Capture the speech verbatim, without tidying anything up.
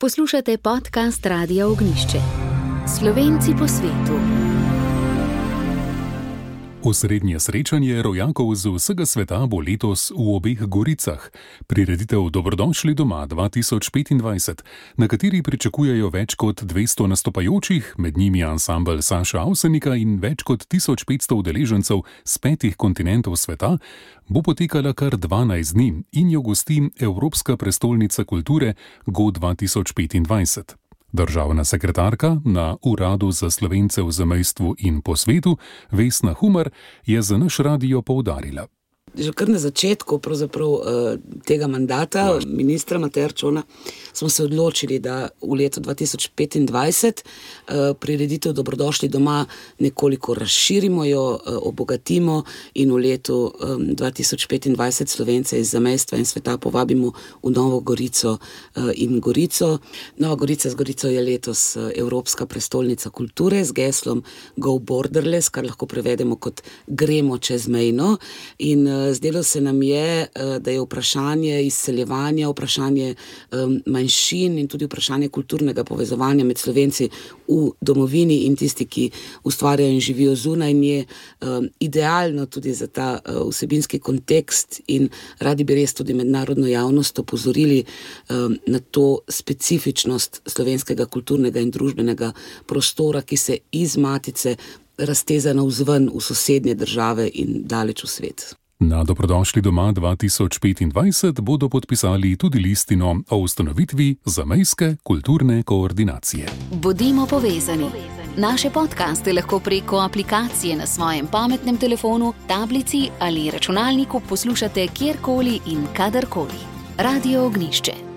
Poslušate podcast Radia Ognjišče. Slovenci po svetu. Osrednje srečanje rojakov z vsega sveta bo letos v obeh Goricah. Prireditev Dobrodošli doma dva tisoč petindvajset, na kateri pričakujejo več kot dvesto nastopajočih, med njimi ansambel Saša Avsenika in več kot tisoč petsto udeležencev z petih kontinentov sveta, bo potekala kar dvanajst dni in jo gosti Evropska prestolnica kulture Go dva tisoč petindvajset. Državna sekretarka na Uradu za Slovence v zamejstvu in po svetu, Vesna Humar, je za naš radio poudarila. Že kar na začetku pravzaprav tega mandata ministra Mateja Arčona smo se odločili, da v letu dva tisoč petindvajset prireditev Dobrodošli doma nekoliko razširimo jo, obogatimo in v letu dva tisoč petindvajset Slovence iz zamejstva in sveta povabimo v Novo Gorico in Gorico. Nova Gorica z Gorico je letos Evropska prestolnica kulture z geslom Go Borderless, kar lahko prevedemo kot gremo čezmejno, in zdelo se nam je, da je vprašanje izseljevanja, vprašanje manjšin in tudi vprašanje kulturnega povezovanja med Slovenci v domovini in tisti, ki ustvarjajo in živijo zunaj nje, idealno tudi za ta vsebinski kontekst, in radi bi res tudi mednarodno javnost opozorili na to specifičnost slovenskega kulturnega in družbenega prostora, ki se iz matice razteza navzven v sosednje države in daleč v svet. Na Dobrodošli doma dva tisoč petindvajset bodo podpisali tudi listino o ustanovitvi zamejske kulturne koordinacije. Bodimo povezani. Naše podcaste lahko preko aplikacije na svojem pametnem telefonu, tablici ali računalniku poslušate kjerkoli in kadarkoli. Radio Ognjišče.